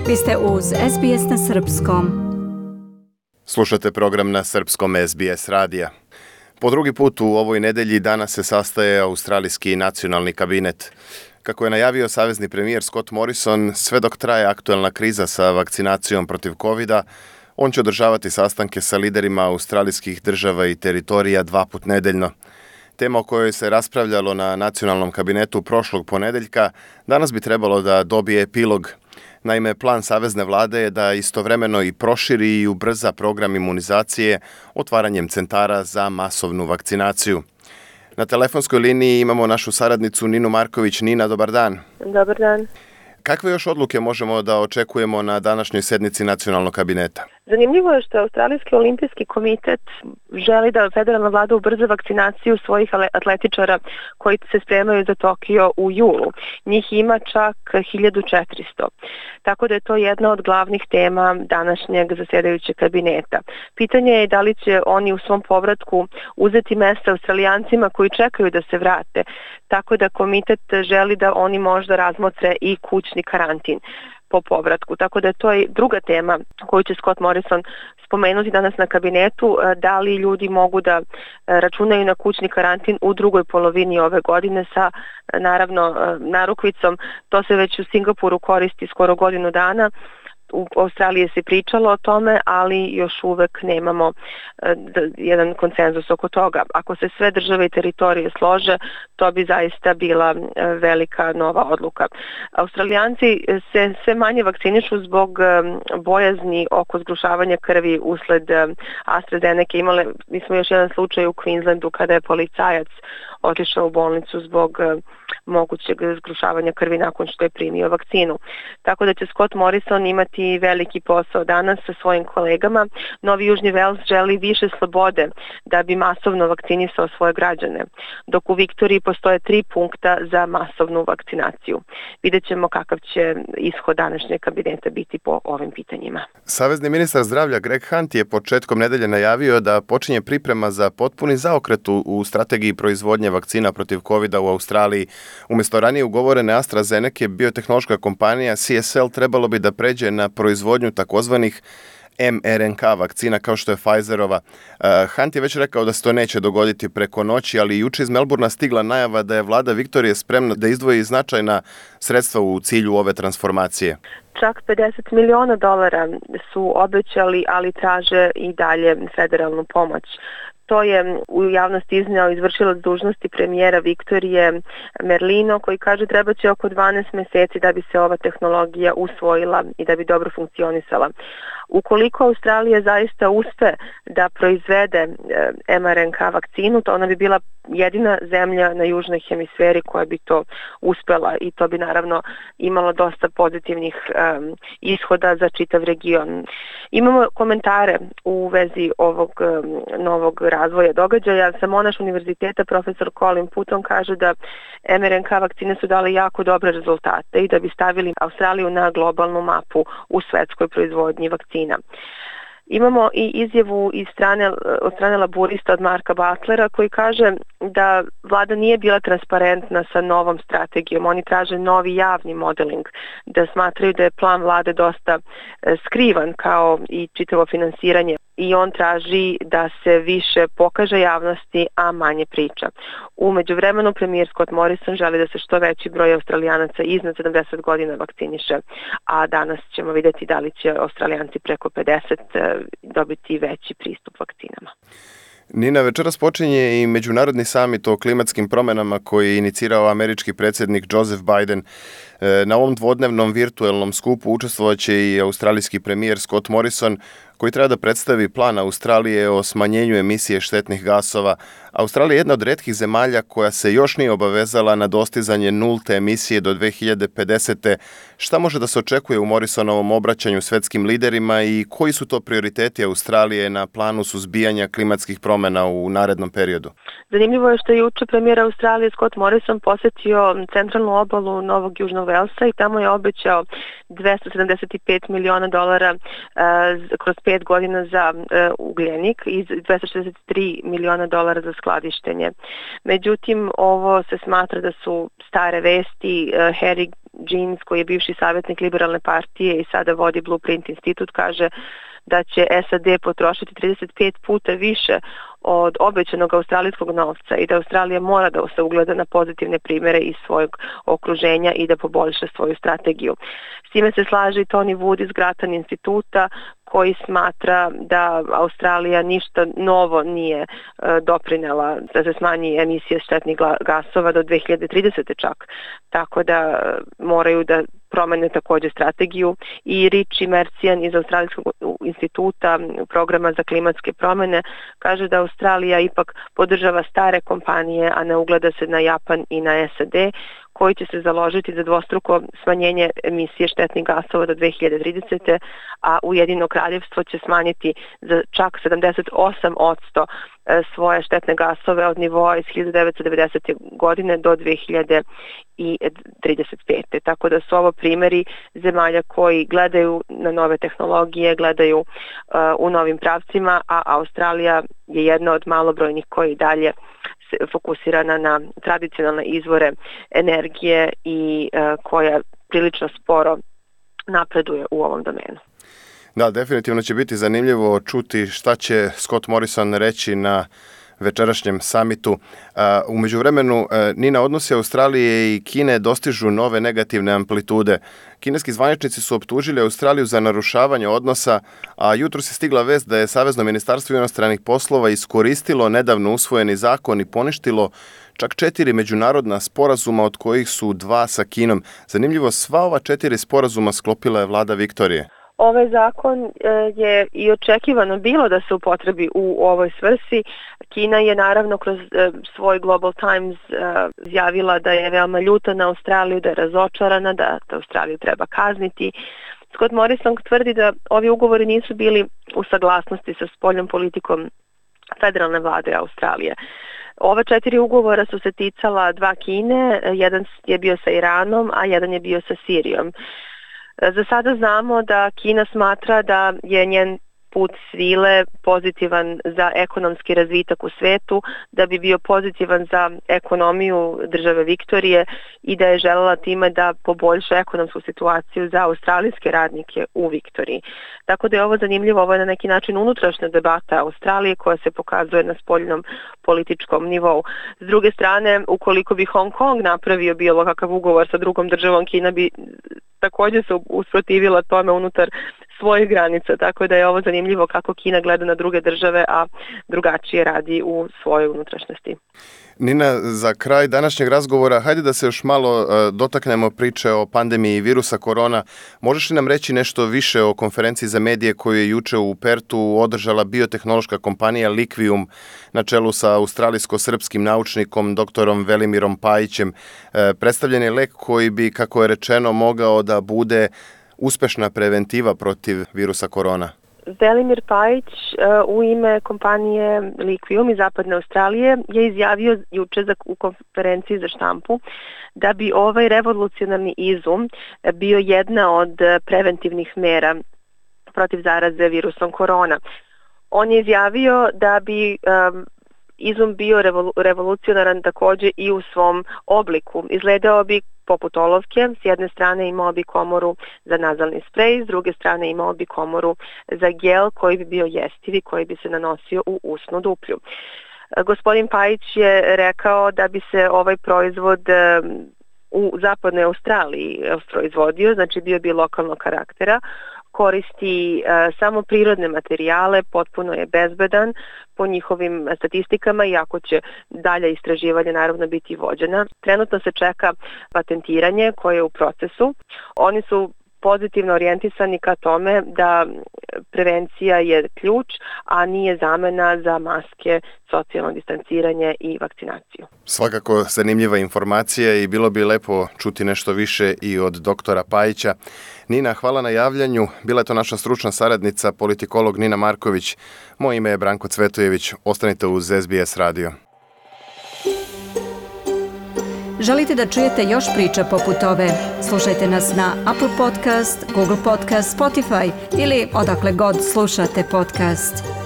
Vi ste uz SBS na Srpskom. Slušate program na Srpskom SBS radija. Po drugi put u ovoj nedelji danas se sastaje Australijski nacionalni kabinet. Kako je najavio savezni premijer Scott Morrison, sve dok traje aktuelna kriza sa vakcinacijom protiv covida, on će održavati sastanke sa liderima australijskih država i teritorija 2 puta nedeljno. Tema o kojoj se raspravljalo na nacionalnom kabinetu prošlog ponedeljka danas bi trebalo da dobije epilog. Naime, plan savezne vlade je da istovremeno i proširi i ubrza program imunizacije otvaranjem centara za masovnu vakcinaciju. Na telefonskoj liniji imamo našu saradnicu Ninu Marković. Nina, dobar dan. Dobar dan. Kakve još odluke možemo da očekujemo na današnjoj sednici nacionalnog kabineta? Zanimljivo je što Australijski olimpijski komitet želi da federalna vlada ubrza vakcinaciju svojih atletičara koji se spremaju za Tokio u julu. Njih ima čak 1400. Tako da je to jedna od glavnih tema današnjeg zasedajućeg kabineta. Pitanje je da li će oni u svom povratku uzeti mesta Australijancima koji čekaju da se vrate. Tako da komitet želi da oni možda razmotre i kućni karantin po povratku. Tako da je to druga tema koju će Scott Morrison spomenuti danas na kabinetu, da li ljudi mogu da računaju na kućni karantin u drugoj polovini ove godine sa, naravno, narukvicom. To se već u Singapuru koristi skoro godinu dana. U Australiji se pričalo o tome, ali još uvek nemamo jedan konsenzus oko toga. Ako se sve države i teritorije slože, to bi zaista bila velika nova odluka. Australijanci se sve manje vakcinišu zbog bojazni oko zgrušavanja krvi usled AstraZeneca. Mi smo još jedan slučaj u Queenslandu kada je policajac otišao u bolnicu zbog mogućeg zgrušavanja krvi nakon što je primio vakcinu. Tako da će Scott Morrison imati veliki posao danas sa svojim kolegama. Novi Južni Vels želi više slobode da bi masovno vakcinisao svoje građane, dok u Viktoriji postoje 3 punkta za masovnu vakcinaciju. Vidjet ćemo kakav će ishod današnjeg kabineta biti po ovim pitanjima. Savezni ministar zdravlja Greg Hunt je početkom nedelje najavio da počinje priprema za potpuni zaokret u strategiji proizvodnje vakcina protiv covida u Australiji. Umjesto ranije ugovorene AstraZeneca, biotehnološka kompanija CSL trebalo bi da pređe na proizvodnju takozvanih mRNK vakcina kao što je Pfizerova. Hunt je već rekao da se to neće dogoditi preko noći, ali juče iz Melbourna stigla najava da je vlada Viktorije spremna da izdvoji značajna sredstva u cilju ove transformacije. Čak $50 miliona su obećali, ali traže i dalje federalnu pomoć. To je u javnosti izneo izvršilac dužnosti premijera Viktorije Merlino, koji kaže treba će oko 12 mjeseci da bi se ova tehnologija usvojila i da bi dobro funkcionisala. Ukoliko Australija zaista uspe da proizvede mRNK vakcinu, to ona bi bila jedina zemlja na južnoj hemisferi koja bi to uspela i to bi naravno imalo dosta pozitivnih ishoda za čitav region. Imamo komentare u vezi ovog novog razvoja događaja. Sa Monash univerziteta profesor Colin Putton kaže da mRNK vakcine su dale jako dobre rezultate i da bi stavili Australiju na globalnu mapu u svetskoj proizvodnji vakcina. Imamo i izjavu od strane laburista od Marka Butlera koji kaže da vlada nije bila transparentna sa novom strategijom. Oni traže novi javni modeling, da smatraju da je plan vlade dosta skrivan kao i čitavo finansiranje. I on traži da se više pokaže javnosti, a manje priča. U međuvremenu premijer Scott Morrison želi da se što veći broj Australijanaca iznad 70 godina vakciniše, a danas ćemo vidjeti da li će Australijanci preko 50 dobiti veći pristup vakcinama. Nina, večeras počinje i međunarodni samit o klimatskim promjenama koji je inicirao američki predsjednik Joseph Biden. Na ovom dvodnevnom virtualnom skupu učestvovat će i australijski premijer Scott Morrison, koji treba da predstavi plan Australije o smanjenju emisije štetnih gasova. Australija je jedna od retkih zemalja koja se još nije obavezala na dostizanje nulte emisije do 2050. Šta može da se očekuje u Morrisonovom obraćanju svetskim liderima i koji su to prioriteti Australije na planu suzbijanja klimatskih promjena u narednom periodu? Zanimljivo je što je juče premijer Australije Scott Morrison posjetio centralnu obalu Novog Južnog Welsa i tamo je obećao $275 miliona kroz 5 godina za ugljenik i $263 miliona za skladištenje. Međutim, ovo se smatra da su stare vesti. Harry Jeans, koji je bivši savjetnik Liberalne partije i sada vodi Blueprint institut, kaže da će SAD potrošiti 35 puta više od obećanog australijskog novca i da Australija mora da se ugleda na pozitivne primere iz svojeg okruženja i da poboljša svoju strategiju. S time se slaže i Tony Wood iz Grattan instituta, koji smatra da Australija ništa novo nije doprinela da se smanji emisije štetnih gasova do 2030. čak. Tako da moraju da promene također strategiju. I Richie Mercian iz Australijskog instituta programa za klimatske promene kaže da Australija ipak podržava stare kompanije, a ne ugleda se na Japan i na SAD, koji će se založiti za dvostruko smanjenje emisije štetnih gasova do 2030. a Ujedinjeno kraljevstvo će smanjiti za čak 78% svoje štetne gasove od nivoa iz 1990. godine do 2035. Tako da su ovo primjeri zemalja koji gledaju na nove tehnologije, gledaju u novim pravcima, a Australija je jedna od malobrojnih koji dalje fokusirana na tradicionalne izvore energije i koja prilično sporo napreduje u ovom domenu. Da, definitivno će biti zanimljivo čuti šta će Scott Morrison reći na večerašnjem samitu. U međuvremenu, Nina, odnosi Australije i Kine dostižu nove negativne amplitude. Kineski zvaničnici su optužili Australiju za narušavanje odnosa, a jutros je stigla vest da je Savezno ministarstvo inostranih poslova iskoristilo nedavno usvojeni zakon i poništilo čak 4 međunarodna sporazuma, od kojih su 2 sa Kinom. Zanimljivo, sva ova 4 sporazuma sklopila je vlada Viktorije. Ovaj zakon je i očekivano bilo da se upotrebi u ovoj svrsi. Kina je naravno kroz svoj Global Times izjavila da je veoma ljuta na Australiju, da je razočarana, da Australiju treba kazniti. Scott Morrison tvrdi da ovi ugovori nisu bili u saglasnosti sa spoljnom politikom federalne vlade Australije. Ova 4 ugovora su se ticala 2 Kine, jedan je bio sa Iranom, a jedan je bio sa Sirijom. Za sada znamo da Kina smatra da je njen put svile pozitivan za ekonomski razvitak u svetu, da bi bio pozitivan za ekonomiju države Viktorije i da je želela time da poboljša ekonomsku situaciju za australijske radnike u Viktoriji. Tako da je ovo zanimljivo, ovo je na neki način unutrašnja debata Australije koja se pokazuje na spoljnom političkom nivou. S druge strane, ukoliko bi Hong Kong napravio bilo kakav ugovor sa drugom državom, Kina bi također se usprotivila tome unutar svojih granica, tako da je ovo zanimljivo kako Kina gleda na druge države, a drugačije radi u svojoj unutrašnjosti. Nina, za kraj današnjeg razgovora, hajde da se još malo dotaknemo priče o pandemiji virusa korona. Možeš li nam reći nešto više o konferenciji za medije koju je juče u Pertu održala biotehnološka kompanija Liquium na čelu sa australijsko-srpskim naučnikom doktorom Velimirom Pajićem? Predstavljen je lek koji bi, kako je rečeno, mogao da bude uspešna preventiva protiv virusa korona. Velimir Pajić u ime kompanije Liquium iz Zapadne Australije je izjavio juče u konferenciji za štampu da bi ovaj revolucionarni izum bio jedna od preventivnih mera protiv zaraze virusom korona. On je izjavio da bi izum bio revolucionaran također i u svom obliku. Izgledao bi poput olovke, s jedne strane imao bi komoru za nazalni sprej, s druge strane imao bi komoru za gel koji bi bio jestiv i koji bi se nanosio u usnu duplju. Gospodin Pajić je rekao da bi se ovaj proizvod u Zapadnoj Australiji proizvodio, znači bio bi lokalnog karaktera, koristi samo prirodne materijale, potpuno je bezbedan po njihovim statistikama, iako će dalje istraživanje naravno biti vođena. Trenutno se čeka patentiranje koje je u procesu. Oni su pozitivno orijentisani ka tome da prevencija je ključ, a nije zamena za maske, socijalno distanciranje i vakcinaciju. Svakako zanimljiva informacija i bilo bi lepo čuti nešto više i od doktora Pajića. Nina, hvala na javljanju. Bila je to naša stručna saradnica, politikolog Nina Marković. Moje ime je Branko Cvetojević. Ostanite uz SBS radio. Želite da čujete još priča poput ove? Slušajte nas na Apple Podcast, Google Podcast, Spotify ili odakle god slušate podcast.